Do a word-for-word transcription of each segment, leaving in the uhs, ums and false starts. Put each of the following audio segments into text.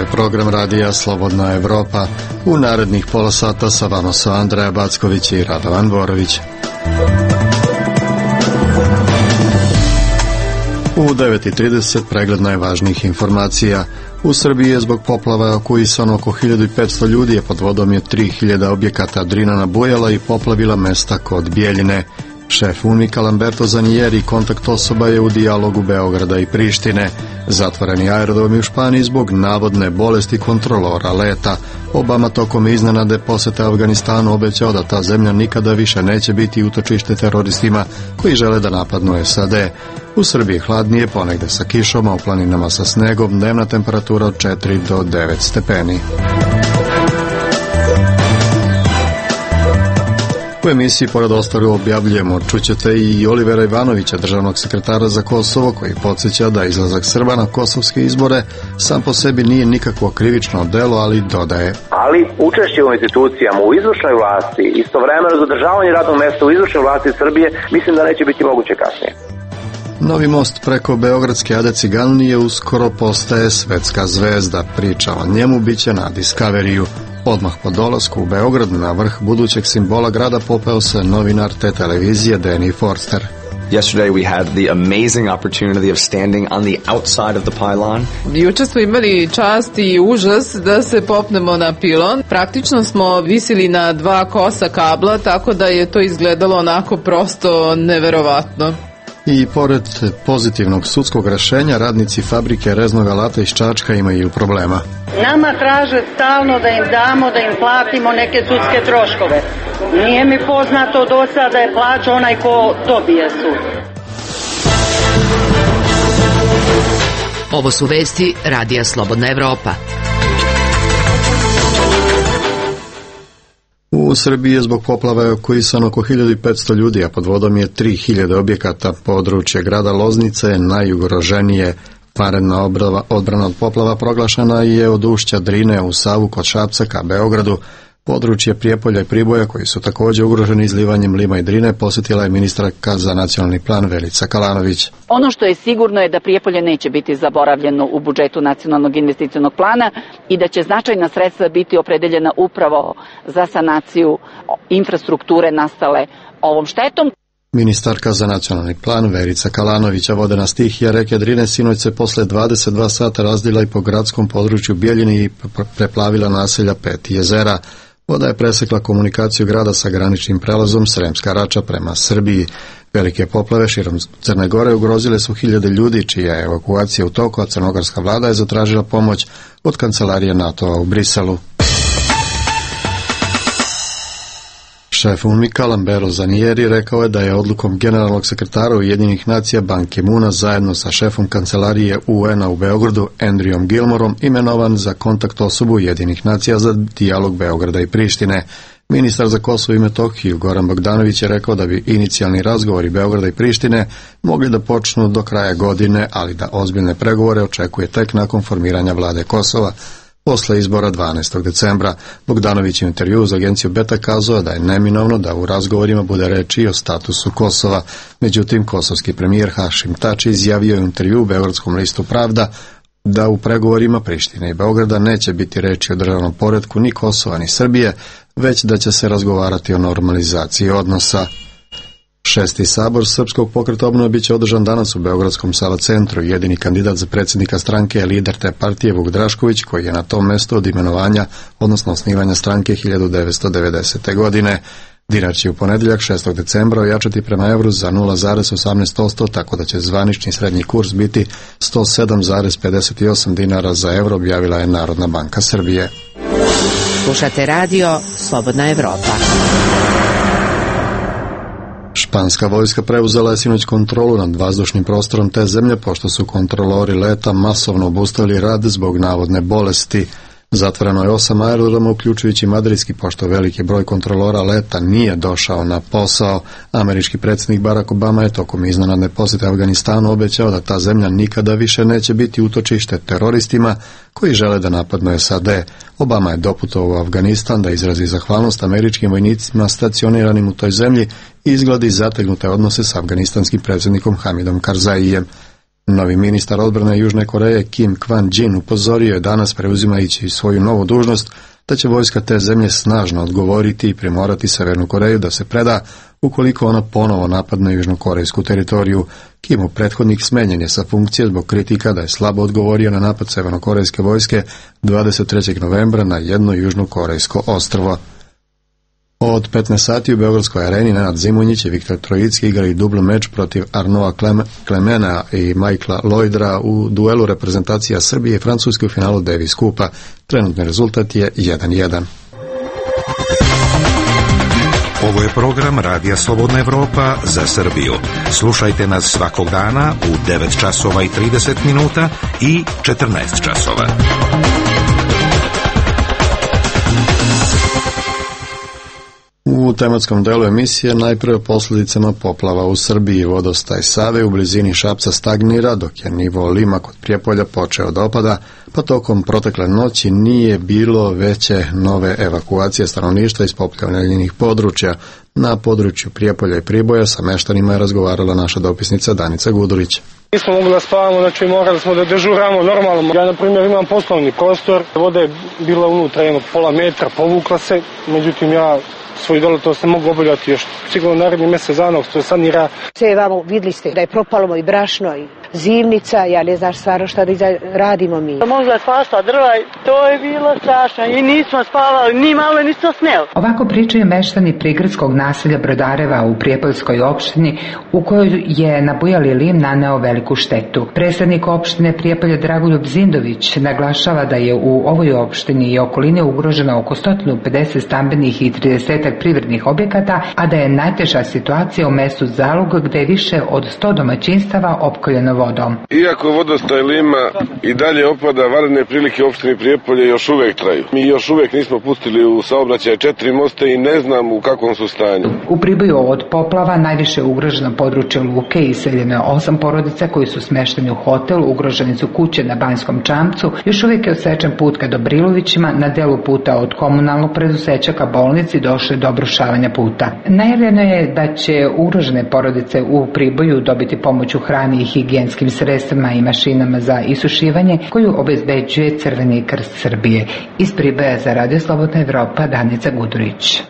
je program radija Slobodna Evropa. U narednih pola sata sa vama su Andreja Backović i Radovan Borović. U devet i trideset pregled najvažnijih informacija. U Srbiji je zbog poplava evakuisano oko hiljadu petsto ljudi, a pod vodom je tri hiljade objekata. Drina nabujala i poplavila mesta kod Bjeljine. Šef UNMIK-a Lamberto Zanieri kontakt osoba je u dijalogu Beograda i Prištine. Zatvoreni aerodromi u Španiji zbog navodne bolesti kontrolora leta. Obama tokom iznenade posete Afganistanu obećao da ta zemlja nikada više neće biti utočište teroristima koji žele da napadnu S A D. U Srbiji hladnije, ponegde sa kišom, a u planinama sa snegom, dnevna temperatura od četiri do devet stepeni. U emisiji pored ostalog objavljujemo, čućete i Olivera Ivanovića, državnog sekretara za Kosovo, koji podsjeća da izlazak Srba na kosovske izbore sam po sebi nije nikakvo krivično delo, ali dodaje. Ali učešće u institucijama, u izvršnoj vlasti, istovremeno zadržavanje radnog mesta u izvršnoj vlasti Srbije, mislim da neće biti moguće kasnije. Novi most preko beogradske Ade Ciganlije uskoro postaje svetska zvezda. Priča o njemu biće na Discoveriju. Odmah po dolasku u Beograd na vrh budućeg simbola grada popeo se novinar te televizije Danny Forster. Yesterday we had the amazing opportunity of standing on the outside of the pylon. Juče smo imali čast i užas da se popnemo na pilon. Praktično smo visili na dva kosa kabla, tako da je to izgledalo onako prosto neverovatno. I pored pozitivnog sudskog rešenja, radnici fabrike reznog alata iz Čačka imaju problema. Nama traže stalno da im damo, da im platimo neke sudske troškove. Nije mi poznato do sada da je plaća onaj ko dobije sud. Ovo su vesti Radija Slobodna Evropa. U Srbiji je zbog poplava evakuisano oko hiljadu petsto ljudi, a pod vodom je tri hiljade objekata. Područje grada Loznice je najugroženije. Vanredna odbrana od poplava proglašena je od ušća Drine u Savu kod Šapca ka Beogradu. Područje Prijepolja i Priboja, koji su također ugroženi izlivanjem Lima i Drine, posjetila je ministarka za nacionalni plan Verica Kalanović. Ono što je sigurno je da Prijepolje neće biti zaboravljeno u budžetu nacionalnog investicionog plana i da će značajna sredstva biti opredeljena upravo za sanaciju infrastrukture nastale ovom štetom. Ministarka za nacionalni plan Verica Kalanovića, vodena stihija reke Drine sinoć se posle dvadeset dva sata razdila i po gradskom području Bjeljine i preplavila naselja Pet jezera. Voda je presekla komunikaciju grada sa graničnim prelazom Sremska Rača prema Srbiji. Velike poplave širom Crne Gore ugrozile su hiljade ljudi, čija je evakuacija u toku, a crnogorska vlada je zatražila pomoć od kancelarije NATO-a u Briselu. Šef UNMIK-a Lamberto Zanieri rekao je da je odlukom generalnog sekretara Ujedinjenih nacija Ban Ki-moona zajedno sa šefom kancelarije U N-a u Beogradu Andrewom Gilmorom imenovan za kontakt osobu Ujedinjenih nacija za dijalog Beograda i Prištine. Ministar za Kosovo i Metohiju Goran Bogdanović je rekao da bi inicijalni razgovori Beograda i Prištine mogli da počnu do kraja godine, ali da ozbiljne pregovore očekuje tek nakon formiranja vlade Kosova. Posle izbora dvanaestog decembra, Bogdanović je u intervjuu za agenciju Beta kazao da je neminovno da u razgovorima bude reči o statusu Kosova. Međutim, kosovski premijer Hašim Tači izjavio je u intervjuu u beogradskom listu Pravda da u pregovorima Prištine i Beograda neće biti reči o državnom poretku ni Kosova ni Srbije, već da će se razgovarati o normalizaciji odnosa. Šesti sabor Srpskog pokreta obnove biće održan danas u Beogradskom Sava centru. Jedini kandidat za predsjednika stranke je lider te partije Vuk Drašković, koji je na tom mestu od imenovanja, odnosno osnivanja stranke hiljadu devetsto devedesete. godine. Dinar će u ponedjeljak šestog decembra ojačati prema evru za nula zarez osamnaest posto, tako da će zvanični srednji kurs biti sto sedam zarez pedeset osam dinara za evro, objavila je Narodna banka Srbije. Slušate radio Slobodna Evropa. Španska vojska preuzela je sinoć kontrolu nad vazdušnim prostorom te zemlje, pošto su kontrolori leta masovno obustavili rad zbog navodne bolesti. Zatvoreno je osam aerodroma, uključujući madridski, pošto veliki broj kontrolora leta nije došao na posao. Američki predsjednik Barack Obama je tokom iznenadne posjete Afganistanu obećao da ta zemlja nikada više neće biti utočište teroristima koji žele da napadnu S A D. Obama je doputovao u Afganistan da izrazi zahvalnost američkim vojnicima stacioniranim u toj zemlji i izgledi zategnute odnose s afganistanskim predsjednikom Hamidom Karzaijem. Novi ministar odbrane Južne Koreje Kim Kwan-jin upozorio je danas, preuzimajući svoju novu dužnost, da će vojska te zemlje snažno odgovoriti i primorati Severnu Koreju da se preda ukoliko ona ponovo napadne južnokorejsku teritoriju. Kimov prethodnik smenjen je sa funkcije zbog kritika da je slabo odgovorio na napad severnokorejske vojske dvadeset trećeg novembra na jedno južnokorejsko ostrvo. Od petnaest sati u Beogradskoj areni Nenad Zimonjić i Viktor Trojicki igrali dubl meč protiv Arnoa Klemena i Michaela Lloydra u duelu reprezentacija Srbije i Francuske u finalu Davis Kupa. Trenutni rezultat je jedan jedan. Ovo je program Radija Slobodna Evropa za Srbiju. Slušajte nas svakog dana u devet časova i trideset minuta i četrnaest časova. U tematskom delu emisije najprije o posljedicama poplava u Srbiji. Vodostaj Save u blizini Šapca stagnira, dok je nivo Lima kod Prijepolja počeo da opada, pa tokom protekle noći nije bilo veće nove evakuacije stanovništva iz poplavljenih područja. Na području Prijepolja i Priboja sa meštanima je razgovarala naša dopisnica Danica Gudurić. Nismo mogli da spavamo, znači morali smo da dežuramo normalno. Ja, na primjer, imam poslovni prostor, voda je bila unutra jednog pola metra, povukla se, međutim ja svoj dole to se mogu obavljati još sigurno naredni mjesec dana, to sanira. Sve vamo vidjeli ste da je propalo i brašno i zimnica, ja ne znaš stvarno šta da radimo mi. Možda spasla drva, to je bilo strašno i nismo spavali, ni malo nismo sneli. Ovako pričaju meštani prigradskog naselja Brodareva u Prijepoljskoj opštini u kojoj je nabujali lim naneo veliku štetu. Predstavnik opštine Prijepolje Dragoljub Zindović naglašava da je u ovoj opštini i okoline ugroženo oko sto pedeset stambenih i trideset privrednih objekata, a da je najteža situacija u mestu Zalug gde je više od sto domaćinstava opkoljeno vodom. Iako vodostaj Lima i dalje opada, vanredne prilike u opštini Prijepolje još uvek traju. Mi još uvek nismo pustili u saobraćaj četiri mosta i ne znam u kakvom su stanju. U Priboju od poplava najviše je ugroženo područje Luke i iseljeno je osam porodica koji su smešteni u hotel, ugroženi su kuće na Banjskom Čamcu, još uvek je odsečen put ka Dobrilovićima, na delu puta od komunalnog preduzeća ka bolnici došlo do obrušavanja puta. Najavljeno je da će ugrožene porodice u Priboju dobiti pomoć u hrani i higijenskim sredstvima i mašinama za isušivanje koju obezbeđuje Crveni krst Srbije. Iz Priboja za Radio Slobodna Evropa, Danica Gudurić.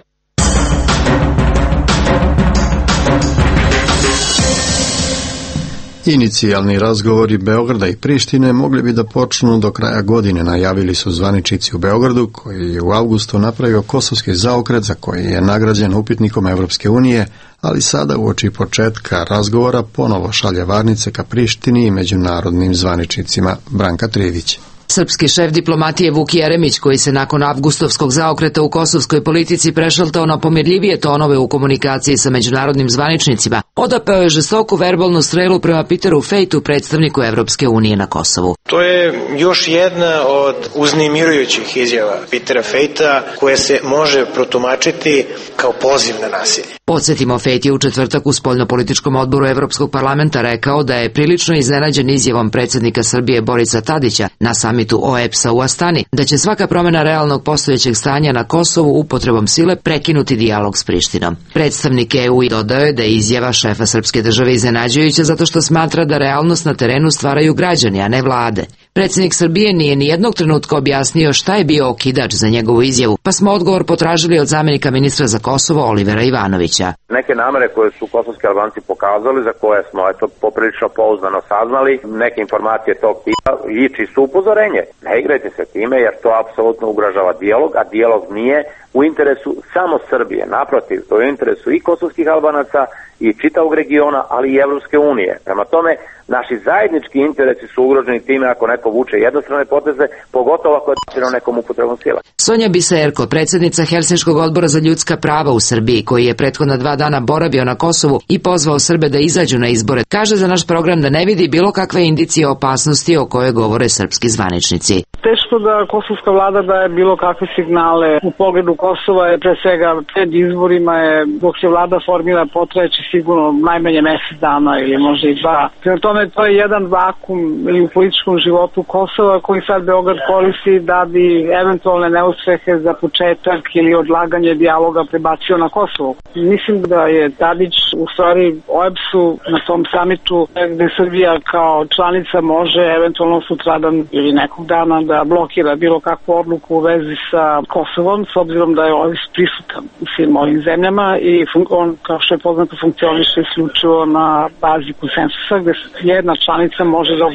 Inicijalni razgovori Beograda i Prištine mogli bi da počnu do kraja godine, najavili su zvaničnici u Beogradu, koji je u avgustu napravio kosovski zaokret za koji je nagrađen upitnikom Evropske unije, ali sada uoči početka razgovora ponovo šalje varnice ka Prištini i međunarodnim zvaničnicima. Branka Trivić. Srpski šef diplomatije Vuk Jeremić, koji se nakon avgustovskog zaokreta u kosovskoj politici prešaltao na pomirljivije tonove u komunikaciji sa međunarodnim zvaničnicima, odapeo je žestoku verbalnu strelu prema Peteru Fejtu, predstavniku Evropske unije na Kosovu. To je još jedna od uznemirujućih izjava Petera Fejta koje se može protumačiti kao poziv na nasilje. Podsjetimo, Fejt je u četvrtak u spoljnopolitičkom odboru Evropskog parlamenta rekao da je prilično iznenađen izjavom predsjednika Srbije Borisa Tadića na samitu O E B S-a u Astani, da će svaka promjena realnog postojećeg stanja na Kosovu upotrebom sile prekinuti dijalog s Prištinom. Predstavnik E U dodao je da je izjava šefa srpske države iznenađujuća zato što smatra da realnost na terenu stvaraju građani, a ne vlade. Predsjednik Srbije nije ni jednog trenutka objasnio šta je bio okidač za njegovu izjavu, pa smo odgovor potražili od zamjenika ministra za Kosovo Olivera Ivanovića. Neke namere koje su kosovski Albanci pokazali, za koje smo eto poprilično pouzdano saznali, neke informacije tog tipa i čisto upozorenje. Ne igrajte se time jer to apsolutno ugrožava dijalog, a dijalog nije u interesu samo Srbije. Naprotiv, to je u interesu i kosovskih Albanaca i čitavog regiona, ali i Evropske unije. Prema tome, naši zajednički interesi su ugroženi time ako neko vuče jednostrane poteze, pogotovo ako je načinjeno nekom upotrebom sila. Sonja Biserko, predsjednica Helsinškog odbora za ljudska prava u Srbiji, koji je prethodna dva dana boravio na Kosovu i pozvao Srbe da izađu na izbore, kaže za naš program da ne vidi bilo kakve indicije opasnosti o kojoj govore srpski zvaničnici. Teško da kosovska vlada daje bilo kakve signale u pogledu Kosova, je pre svega pred izborima je, dok se vlada formira, potrajeće sigurno najmanje mesec dana ili možda i dva. Prema tome, to je jedan vakum ili u političkom životu Kosova koji sad Beograd koristi da bi eventualne neuspehe za početak ili odlaganje dijaloga prebacio na Kosovo. Mislim da je Tadić u stvari O E B S-u na tom samitu gde Srbija kao članica može eventualno sutradan ili nekog dana da blokira bilo kakvu odluku u vezi sa Kosovom, s obzirom da je O E B S prisutan u svim ovim zemljama i on, kao što je poznato, funkcioniše isključivo na bazi konsensusa, gde jedna članica može da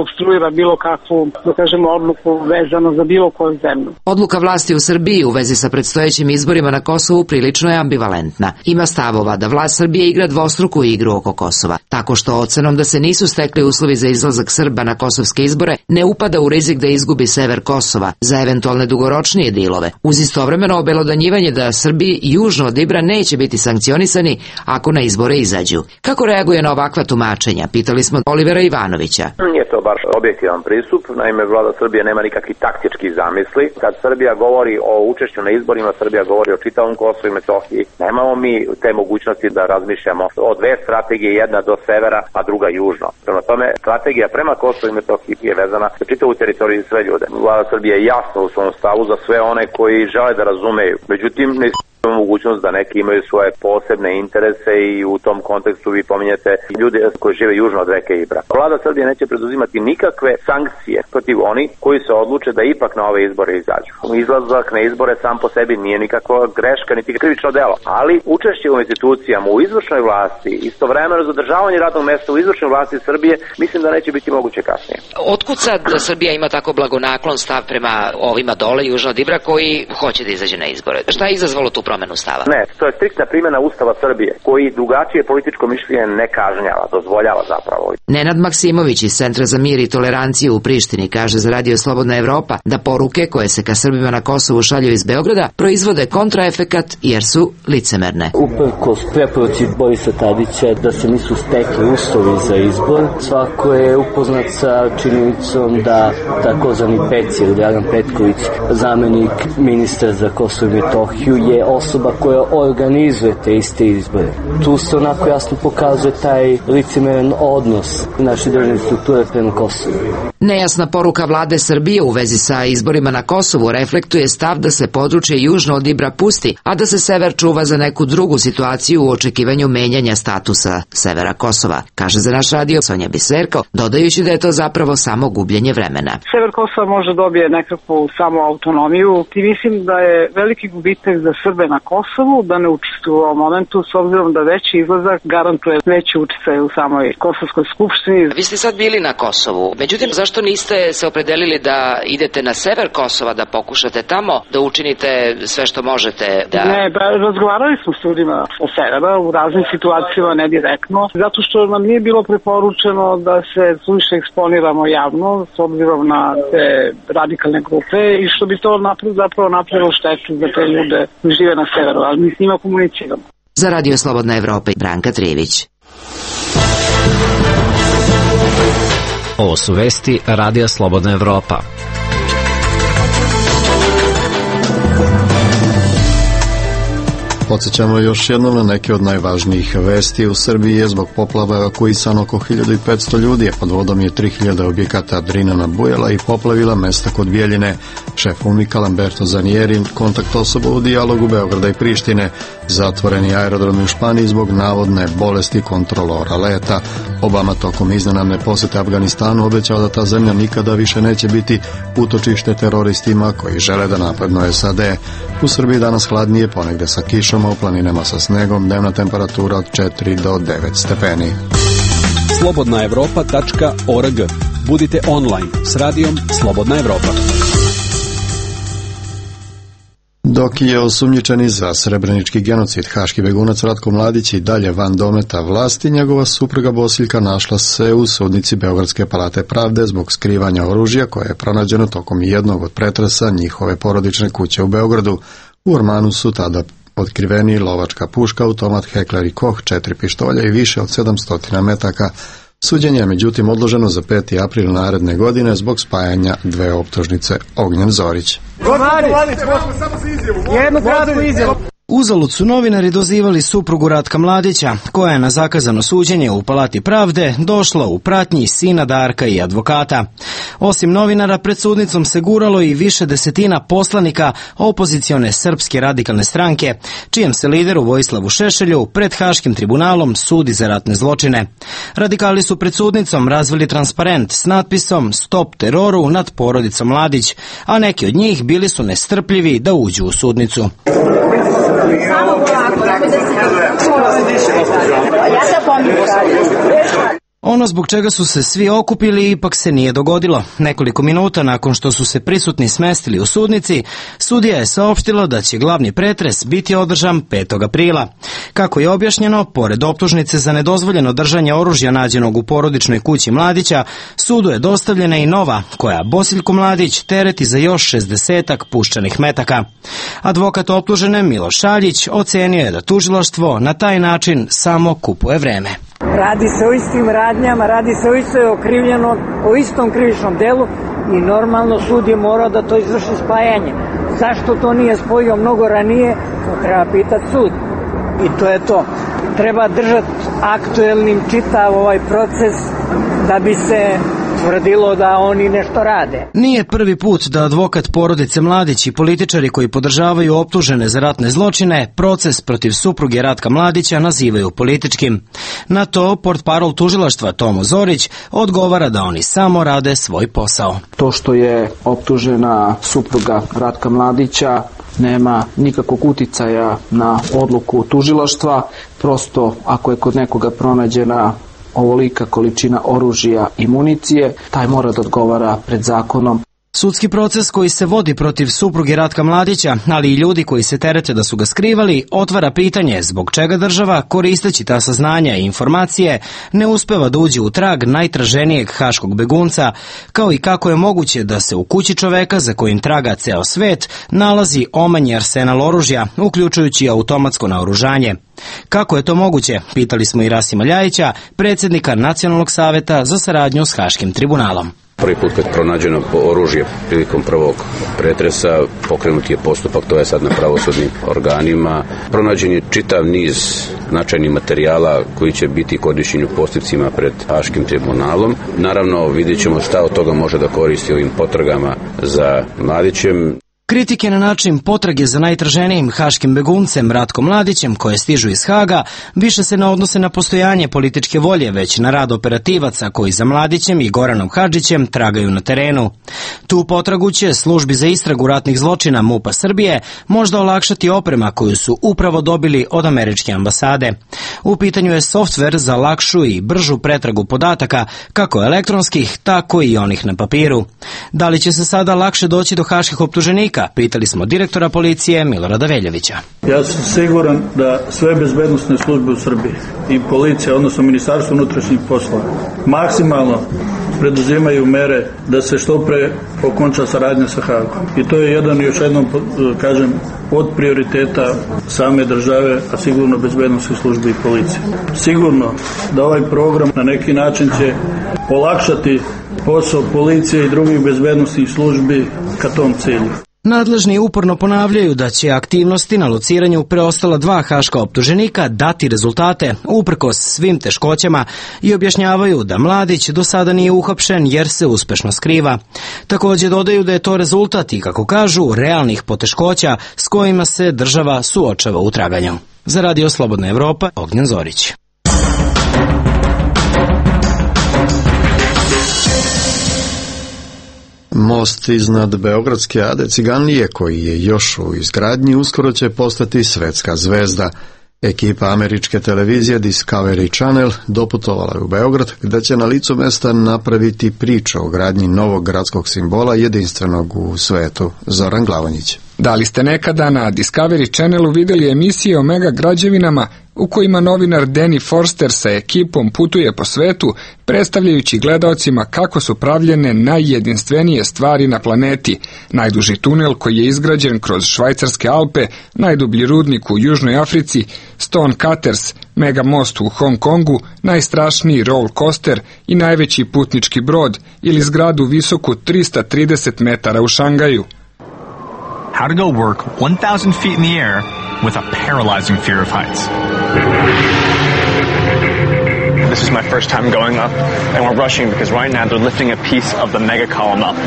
obstruira bilo kakvu, da kažemo, odluku vezano za bilo koju zemlju. Odluka vlasti u Srbiji u vezi sa predstojećim izborima na Kosovu prilično je ambivalentna. Ima stavova da vlast Srbije igra dvostruku igru oko Kosova, tako što ocenom da se nisu stekli uslovi za izlazak Srba na kosovske izbore ne upada u rizik da izgubi sever Kosova za eventualne dugoročnije dilove, uz istovremeno obelodanjivanje da Srbi južno od Ibra neće biti sankcionisani ako na izbore izađu. Kako reaguje na ovakva tumačenja? Pitali smo Olivera Ivanovića. Nije to baš objektivan pristup, naime vlada Srbije nema nikakvi taktički zamisli. Kad Srbija govori o učešću na izborima, Srbija govori o čitavom Kosovu i Metohiji. Nemamo mi te mogućnosti da razmišljamo o dve strategije, jedna do severa, a druga južno. Prema tome, strategija prema Kosovu i Metohiji je vezana za čitavu teritoriju i sve ljude. Vlada Srbije je jasna u svom stavu za sve one koji žele da razumeju. Međutim, ne mogućnost da neki imaju svoje posebne interese i u tom kontekstu vi pominjete ljude koji žive južno od reke Ibra. Vlada Srbije neće preduzimati nikakve sankcije protiv oni koji se odluče da ipak na ove izbore izađu. Izlazak na izbore sam po sebi nije nikakva greška niti krivično delo, ali učešće u institucijama, u izvršnoj vlasti, istovremeno zadržavanje radnog mesta u izvršnoj vlasti Srbije, mislim da neće biti moguće kasnije. Otkud sad da Srbija ima tako blagonaklon stav prema ovima dole južno od Ibra koji hoće da izađe na izbore? Šta je izazvalo tu promenu stava? Ne, to je striktna primjena Ustava Srbije, koji drugačije političko mišljenje ne kažnjava, dozvoljava zapravo. Nenad Maksimović iz Centra za mir i toleranciju u Prištini kaže za Radio Slobodna Evropa da poruke koje se ka Srbima na Kosovu šalju iz Beograda proizvode kontraefekat jer su licemerne. Uprkos preporuci Borisa Tadića da se nisu stekli uslovi za izbor, svako je upoznat sa činjenicom da takozvani Peci ili Dragan Petković, zamenik ministra za Kosovo i Metohiju, je osoba koja organizuje te iste izbore. Tu se onako jasno pokazuje taj licemeran odnos naše državne strukture prema Kosovu. Nejasna poruka vlade Srbije u vezi sa izborima na Kosovu reflektuje stav da se područje južno od Ibra pusti, a da se sever čuva za neku drugu situaciju u očekivanju menjanja statusa severa Kosova, kaže za naš radio Sonja Biserko, dodajući da je to zapravo samo gubljenje vremena. Sever Kosova može dobije nekakvu samo autonomiju i mislim da je veliki gubitak za Srbe na Kosovu da ne učestvuju u ovom momentu, s obzirom da veći izlazak garantuje veći učestaj u samoj Kosovskoj skupštini. Vi ste sad bili na Kosovu, međutim zašto niste se opredelili da idete na sever Kosova, da pokušate tamo da učinite sve što možete? Da... Ne, ba, razgovarali smo s ljudima sa severa u raznim situacijama, ne direktno, zato što nam nije bilo preporučeno da se suviše eksponiramo javno s obzirom na te radikalne grupe i što bi to napravilo, zapravo napravilo štetu za te ljude koji žive na severu, ali mi s njima komuniciramo. Za Radio Slobodna Evropa, Branka Trijević. Ovo su vesti Radija Slobodna Evropa. Podsjećamo još jednom na neke od najvažnijih vesti. U Srbiji je zbog poplava evakuisano oko hiljadu petsto ljudi, a pod vodom je tri hiljade objekata. Drina nabujala i poplavila mesta kod Bijeljine. Šef UNMIK-a Lamberto Zanieri, kontakt osoba u dijalogu Beograda i Prištine. Zatvoreni aerodromi u Španiji zbog navodne bolesti kontrolora leta. Obama tokom iznenadne posete Afganistanu obećao da ta zemlja nikada više neće biti utočište teroristima koji žele da napadnu S A D. U Srbiji danas hladnije, ponegde sa kišom, a u planinama sa snegom, dnevna temperatura od četiri do devet stepeni. slobodna evropa tačka org. Budite online s radijom Slobodna Evropa. Dok je osumnjičeni za srebrenički genocid haški begunac Ratko Mladić i dalje van dometa vlasti, njegova supruga Bosiljka našla se u sudnici Beogradske palate pravde zbog skrivanja oružja koje je pronađeno tokom jednog od pretresa njihove porodične kuće u Beogradu. U ormanu su tada otkriveni lovačka puška, automat Heckler i Koch, četiri pištolja i više od sedamsto metaka Suđenje je međutim odloženo za peti april naredne godine zbog spajanja dve optužnice. Ognjen Zorić. Jednu kratku izjavu. Uzalud su novinari dozivali suprugu Ratka Mladića, koja je na zakazano suđenje u Palati pravde došla u pratnji sina Darka i advokata. Osim novinara, pred sudnicom se guralo i više desetina poslanika opozicione Srpske radikalne stranke, čijem se lideru Vojislavu Šešelju pred Haškim tribunalom sudi za ratne zločine. Radikali su pred sudnicom razvili transparent s natpisom "Stop teroru" nad porodicom Mladić, a neki od njih bili su nestrpljivi da uđu u sudnicu. Samo polako, da se ja se pomijem. Ono zbog čega su se svi okupili ipak se nije dogodilo. Nekoliko minuta nakon što su se prisutni smestili u sudnici, sudija je saopštila da će glavni pretres biti održan petog aprila. Kako je objašnjeno, pored optužnice za nedozvoljeno držanje oružja nađenog u porodičnoj kući Mladića, sudu je dostavljena i nova, koja Bosiljko Mladić tereti za još šezdesetak puščanih metaka. Advokat optužene Miloš Šaljić ocenio je da tužilaštvo na taj način samo kupuje vreme. Radi se o istim radnjama, radi se o istoj okrivljenom, o istom krivičnom delu i normalno sud je morao da to izvrši spajanje. Zašto to nije spojio mnogo ranije, to treba pitati sud. I to je to. Treba držati aktuelnim čitav ovaj proces da bi se tvrdilo da oni nešto rade. Nije prvi put da advokat porodice Mladić i političari koji podržavaju optužene za ratne zločine proces protiv supruge Ratka Mladića nazivaju političkim. Na to portparol tužilaštva Tomo Zorić odgovara da oni samo rade svoj posao. To što je optužena supruga Ratka Mladića nema nikakvog uticaja na odluku tužilaštva, prosto ako je kod nekoga pronađena ovolika količina oružja i municije, taj mora da odgovara pred zakonom. Sudski proces koji se vodi protiv supruge Ratka Mladića, ali i ljudi koji se terete da su ga skrivali, otvara pitanje zbog čega država, koristeći ta saznanja i informacije, ne uspeva da uđe u trag najtraženijeg haškog begunca, kao i kako je moguće da se u kući čoveka za kojim traga ceo svet nalazi omanji arsenal oružja, uključujući automatsko naoružanje. Kako je to moguće, pitali smo i Rasima Ljajića, predsjednika Nacionalnog saveta za saradnju s Haškim tribunalom. Prvi put kad je pronađeno oružje prilikom prvog pretresa, pokrenut je postupak, to je sad na pravosudnim organima. Pronađen je čitav niz značajnih materijala koji će biti korišćeni u postupcima pred Haškim tribunalom. Naravno, vidjet ćemo šta od toga može da koristi ovim potragama za Mladićem. Kritike na način potrage za najtraženijim haškim beguncem Ratkom Mladićem, koje stižu iz Haga, više se ne odnose na postojanje političke volje, već na rad operativaca koji za Mladićem i Goranom Hadžićem tragaju na terenu. Tu potragu će službi za istragu ratnih zločina MUP-a Srbije možda olakšati oprema koju su upravo dobili od američke ambasade. U pitanju je softver za lakšu i bržu pretragu podataka, kako elektronskih, tako i onih na papiru. Da li će se sada lakše doći do haških optuženika? Pitali smo direktora policije Milorada Veljovića. Ja sam siguran da sve bezbednosne službe u Srbiji i policija, odnosno Ministarstvo unutrašnjih poslova, maksimalno preduzimaju mere da se što pre okonča saradnja sa Hagom. I to je jedan, još jednom kažem, od prioriteta same države, a sigurno bezbednosnih službi i policije. Sigurno da ovaj program na neki način će olakšati posao policije i drugih bezbednosnih službi ka tom cilju. Nadležni uporno ponavljaju da će aktivnosti na lociranju preostala dva haška optuženika dati rezultate uprkos svim teškoćama i objašnjavaju da Mladić do sada nije uhapšen jer se uspešno skriva. Također dodaju da je to rezultat i, kako kažu, realnih poteškoća s kojima se država suočava u traganju. Za Radio Slobodna Evropa, Ognjen Zorić. Most iznad Beogradske Ade Ciganlije, koji je još u izgradnji, uskoro će postati svetska zvezda. Ekipa američke televizije Discovery Channel doputovala je u Beograd, gde će na licu mesta napraviti priču o gradnji novog gradskog simbola jedinstvenog u svetu. Zoran Glavonjić. Da li ste nekada na Discovery Channelu vidjeli emisije o mega građevinama u kojima novinar Danny Forster sa ekipom putuje po svetu, predstavljajući gledaocima kako su pravljene najjedinstvenije stvari na planeti. Najduži tunel koji je izgrađen kroz švajcarske Alpe, najdublji rudnik u Južnoj Africi, Stone Cutters, mega most u Hong Kongu, najstrašniji roller coaster i najveći putnički brod ili zgradu visoku trista trideset metara u Šangaju. How to go work one thousand feet in the air with a paralyzing fear of heights. This is my first time going up, and we're rushing because right now they're lifting a piece of the mega column up.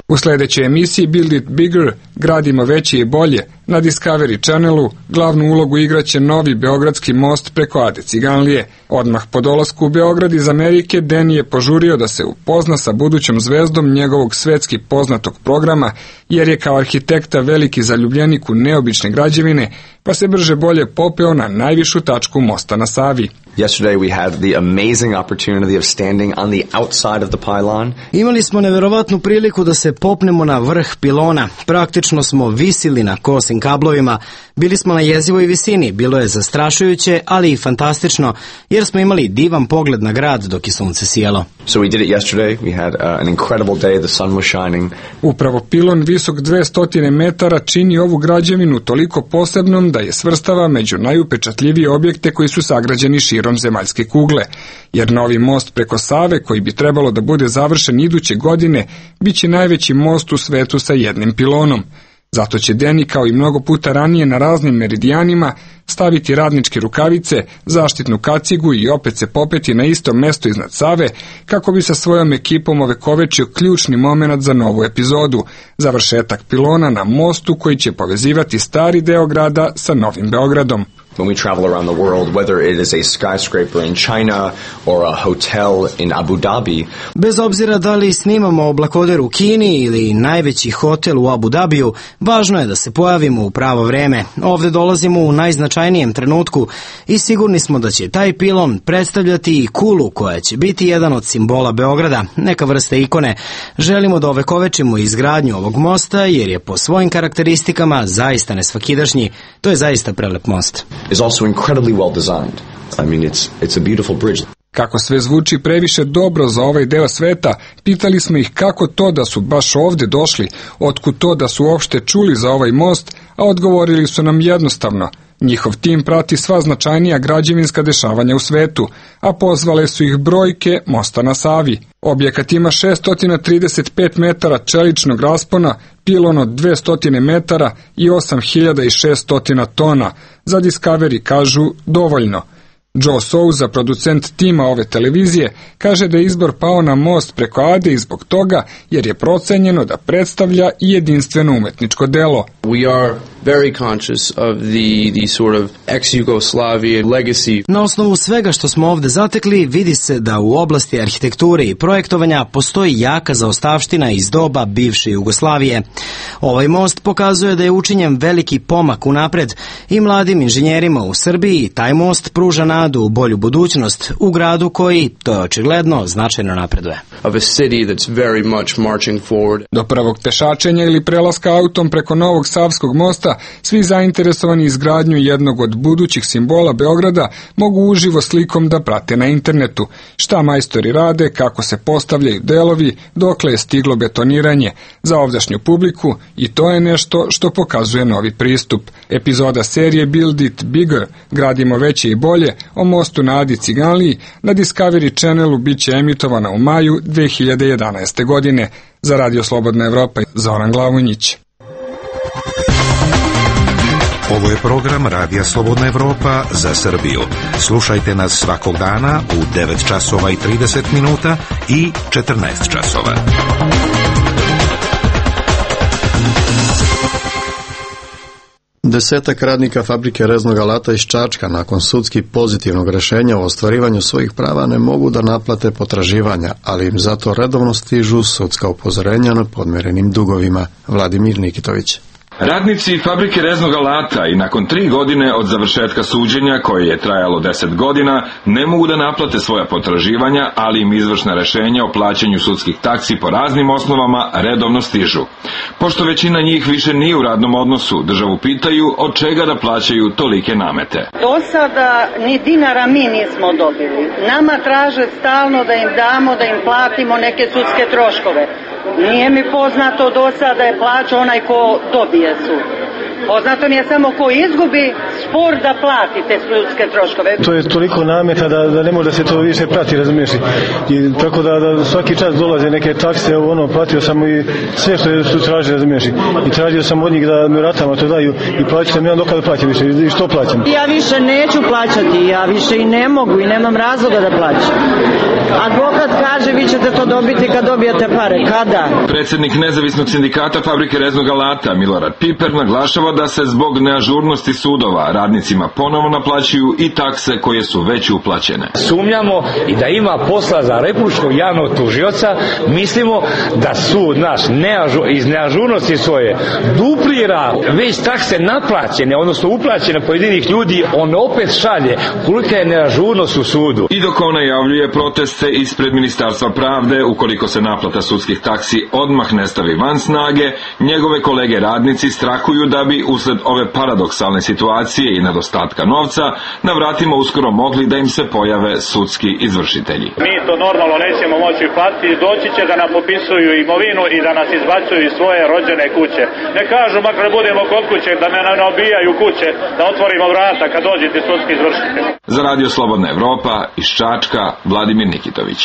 U sljedećoj emisiji Build It Bigger, gradimo veće i bolje, na Discovery Channelu glavnu ulogu igraće novi beogradski most preko Ade Ciganlije. Odmah po dolasku u Beograd iz Amerike, Danny je požurio da se upozna sa budućom zvezdom njegovog svetski poznatog programa, jer je kao arhitekta veliki zaljubljenik u neobične građevine, pa se brže bolje popeo na najvišu tačku mosta na Savi. Yesterday we had the amazing opportunity of standing on the outside of the pylon. Imali smo neverovatnu priliku da se popnemo na vrh pilona. Praktično smo visili na kosim kablovima. Bili smo na jezivoj visini. Bilo je zastrašujuće, ali i fantastično, jer smo imali divan pogled na grad dok je sunce sijalo. So we did it yesterday. We had uh, an incredible day. The sun was shining. Upravo pilon visok dvesta metara čini ovu građevinu toliko posebnom da je svrstava među najupečatljivije objekte koji su sagrađeni širom zemaljske kugle, jer novi most preko Save, koji bi trebalo da bude završen iduće godine, bit će najveći most u svetu sa jednim pilonom. Zato će Danny, kao i mnogo puta ranije na raznim meridijanima, staviti radničke rukavice, zaštitnu kacigu i opet se popeti na isto mesto iznad Save, kako bi sa svojom ekipom ovekovečio ključni moment za novu epizodu, završetak pilona na mostu koji će povezivati stari deo grada sa Novim Beogradom. When we travel around the world, whether it is a skyscraper in China or a hotel in Abu Dhabi. Bez obzira da li snimamo oblakoder u Kini ili najveći hotel u Abu Dhabiju, važno je da se pojavimo u pravo vreme. Ovde dolazimo u najznačajnijem trenutku i sigurni smo da će taj pilon predstavljati i kulu koja će biti jedan od simbola Beograda, neka vrsta ikone. Želimo da ovekovečimo izgradnju ovog mosta jer je po svojim karakteristikama zaista nesvakidašnji. To je zaista prelep most. Is also incredibly well designed. I mean, it's it's a beautiful bridge. Kako sve zvuči previše dobro za ovaj deo sveta, pitali smo ih kako to da su baš ovde došli, otkud to da su uopšte čuli za ovaj most, a odgovorili su nam jednostavno. Njihov tim prati sva značajnija građevinska dešavanja u svetu, a pozvale su ih brojke mosta na Savi. Objekat ima šesto trideset pet metara čeličnog raspona, pilon od dvesta metara i osam hiljada šesto tona. Za Discovery kažu dovoljno. Joe Souza, producent tima ove televizije, kaže da je izbor pao na most preko Ade i zbog toga jer je procenjeno da predstavlja i jedinstveno umetničko delo. We are very conscious of the, the sort of ex-Yugoslavia legacy. Na osnovu svega što smo ovde zatekli, vidi se da u oblasti arhitekture i projektovanja postoji jaka zaostavština iz doba bivše Jugoslavije. Ovaj most pokazuje da je učinjen veliki pomak unapred i mladim inženjerima u Srbiji taj most pruža nadu u bolju budućnost u gradu koji, to je očigledno, značajno napreduje. Of a city that's very much marching forward. Do prvog pešačenja ili prelaska autom preko Novog Savskog mosta, svi zainteresovani izgradnju jednog od budućih simbola Beograda mogu uživo slikom da prate na internetu. Šta majstori rade, kako se postavljaju delovi, dokle je stiglo betoniranje. Za ovdašnju publiku i to je nešto što pokazuje novi pristup. Epizoda serije Build It Bigger, gradimo veće i bolje, o mostu na Adi Ciganliji na Discovery Channelu bit će emitovana u maju dve hiljade jedanaeste. godine. Za Radio Slobodna Evropa, Zoran Glavonjić. Ovo je program Radija Slobodna Evropa za Srbiju. Slušajte nas svakog dana u devet časova i trideset minuta i četrnaest časova. Desetak radnika fabrike reznog alata iz Čačka nakon sudski pozitivnog rešenja o ostvarivanju svojih prava ne mogu da naplate potraživanja, ali im zato redovno stižu sudska upozorenja na podmerenim dugovima. Vladimir Nikitović. Radnici fabrike reznog alata i nakon tri godine od završetka suđenja, koje je trajalo deset godina, ne mogu da naplate svoja potraživanja, ali im izvršna rešenja o plaćanju sudskih taksi po raznim osnovama redovno stižu. Pošto većina njih više nije u radnom odnosu, državu pitaju od čega da plaćaju tolike namete. Do sada ni dinara mi nismo dobili. Nama traže stalno da im damo, da im platimo neke sudske troškove. Nije mi poznato do sada da je plaća onaj ko dobije sud. Poznato mi je samo ko izgubi spor da plati te sudske troškove. To je toliko nameta da, da ne može da se to više prati, razumiješ. I tako da, da svaki čas dolaze neke takse, ono, platio sam i sve što su tražili, razumiješ. I tražio sam od njih da mi ratama to daju i plaću sam ja dokada da plaćam više. I što plaćam? Ja više neću plaćati, ja više i ne mogu i nemam razloga da plaćam. Advokat kaže vi ćete to dobiti kad dobijete pare. Kada? Predsjednik nezavisnog sindikata fabrike reznog alata Milorad Piper naglašava da se zbog neažurnosti sudova radnicima ponovo naplaćuju i takse koje su već uplaćene. Sumnjamo i da ima posla za republičkog javnog tužioca, mislimo da sud naš neažu, iz neažurnosti svoje duplira već takse naplaćene, odnosno uplaćene pojedinih ljudi, on opet šalje kolika je neažurnost u sudu. I dok on najavljuje proteste ispred Ministarstva pravde, ukoliko se naplata sudskih taksi odmah ne stavi van snage, njegove kolege radnici strahuju da bi usled ove paradoksalne situacije i nedostatka novca na vratima uskoro mogli da im se pojave sudski izvršitelji. Mi to normalno nećemo moći platiti, doći će da nam popisuju imovinu i da nas izbacuju iz svoje rođene kuće. Ne kažu makar budemo kod kuće da ne nabijaju kuće, da otvorimo vrata kad dođete sudski izvršitelji. Za Radio Slobodna Evropa iz Čačka, Vladimir Nikitović.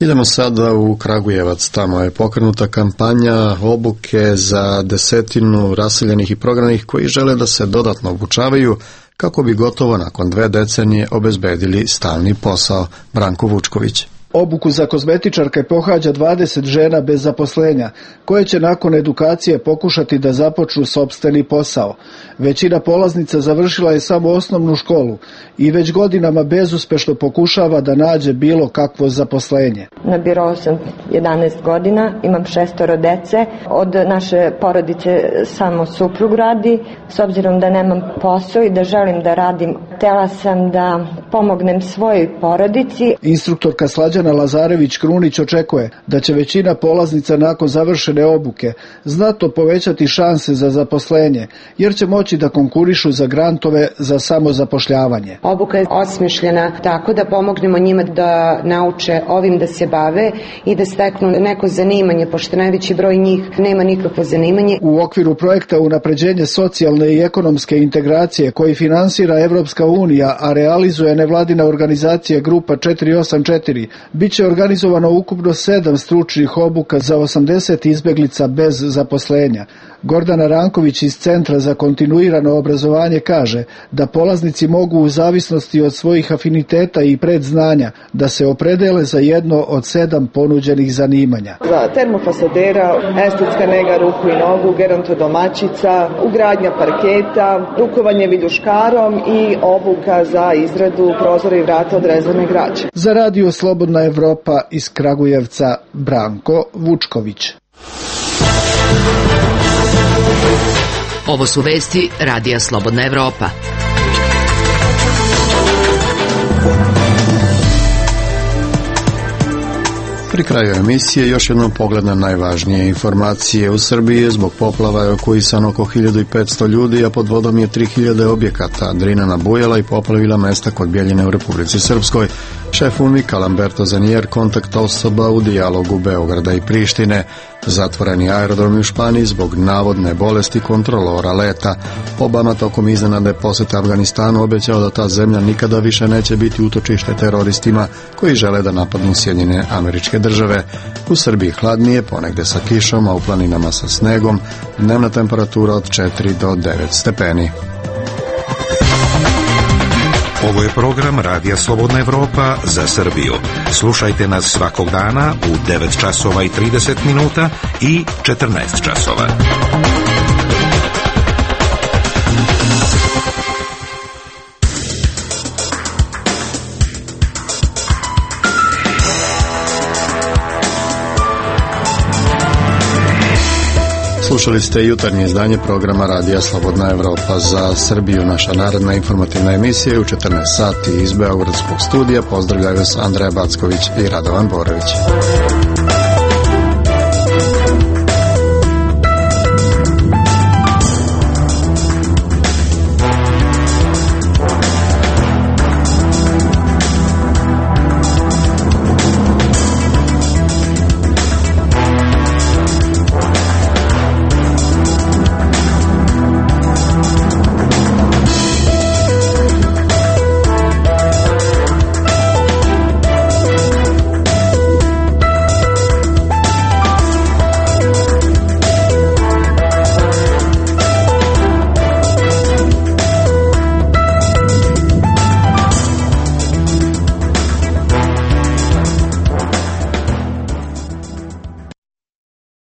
Idemo sada u Kragujevac, tamo je pokrenuta kampanja obuke za desetinu raseljenih i prognanih koji žele da se dodatno obučavaju kako bi gotovo nakon dve decenije obezbedili stalni posao. Branko Vučković. Obuku za kozmetičarke pohađa dvadeset žena bez zaposlenja, koje će nakon edukacije pokušati da započnu sopstveni posao. Većina polaznica završila je samo osnovnu školu i već godinama bezuspešno pokušava da nađe bilo kakvo zaposlenje. Na birou sam jedanaest godina, imam šestoro dece, od naše porodice samo suprug radi, s obzirom da nemam posao i da želim da radim, htela sam da pomognem svojoj porodici. Instruktorka Slađana Lazarević-Krunić očekuje da će većina polaznica nakon završene obuke znatno povećati šanse za zaposlenje, jer će moći da konkurišu za grantove za samozapošljavanje. Obuka je osmišljena tako da pomognemo njima da nauče ovim da se bave i da steknu neko zanimanje, pošto najveći broj njih nema nikakvo zanimanje. U okviru projekta Unapređenje socijalne i ekonomske integracije koji finansira Evropska unija, a realizuje nevladina organizacija Grupa četiri osam četiri, biće organizovano ukupno sedam stručnih obuka za osamdeset izbeglica bez zaposlenja. Gordana Ranković iz Centra za kontinuirano obrazovanje kaže da polaznici mogu u zavisnosti od svojih afiniteta i predznanja da se opredele za jedno od sedam ponuđenih zanimanja. Za termofasadera, estetska nega ruku i nogu, gerontodomaćica, ugradnja parketa, rukovanje viljuškarom i obuka za izradu prozora i vrata od rezane građe. Za Radio Slobodna Evropa iz Kragujevca, Branko Vučković. Ovo su vesti Radija Slobodna Evropa. Pri kraju emisije još jednom pogled na najvažnije informacije. U Srbiji je zbog poplava evakuisano oko hiljadu petsto ljudi, a pod vodom je tri hiljade objekata. Drina nabujala i poplavila mesta kod Bjeljine u Republici Srpskoj. Šef U N M I K-a Lamberto Zanier kontakt osoba u dijalogu Beograda i Prištine. Zatvoreni aerodromi u Španiji zbog navodne bolesti kontrolora leta. Obama tokom iznenadne posete Afganistanu obećao da ta zemlja nikada više neće biti utočište teroristima koji žele da napadnu Sjedinjene Američke Države. U Srbiji hladnije, ponegde sa kišom, a u planinama sa snegom, dnevna temperatura od četiri do devet stepeni. Ovo je program Radija Slobodna Evropa za Srbiju. Slušajte nas svakog dana u devet časova i trideset minuta i četrnaest časova. Slušali ste jutarnje izdanje programa Radija Slobodna Evropa. Za Srbiju naša narodna informativna emisija je u četrnaest sati iz Beogradskog studija. Pozdravljaju vas Andreja Backović i Radovan Borović.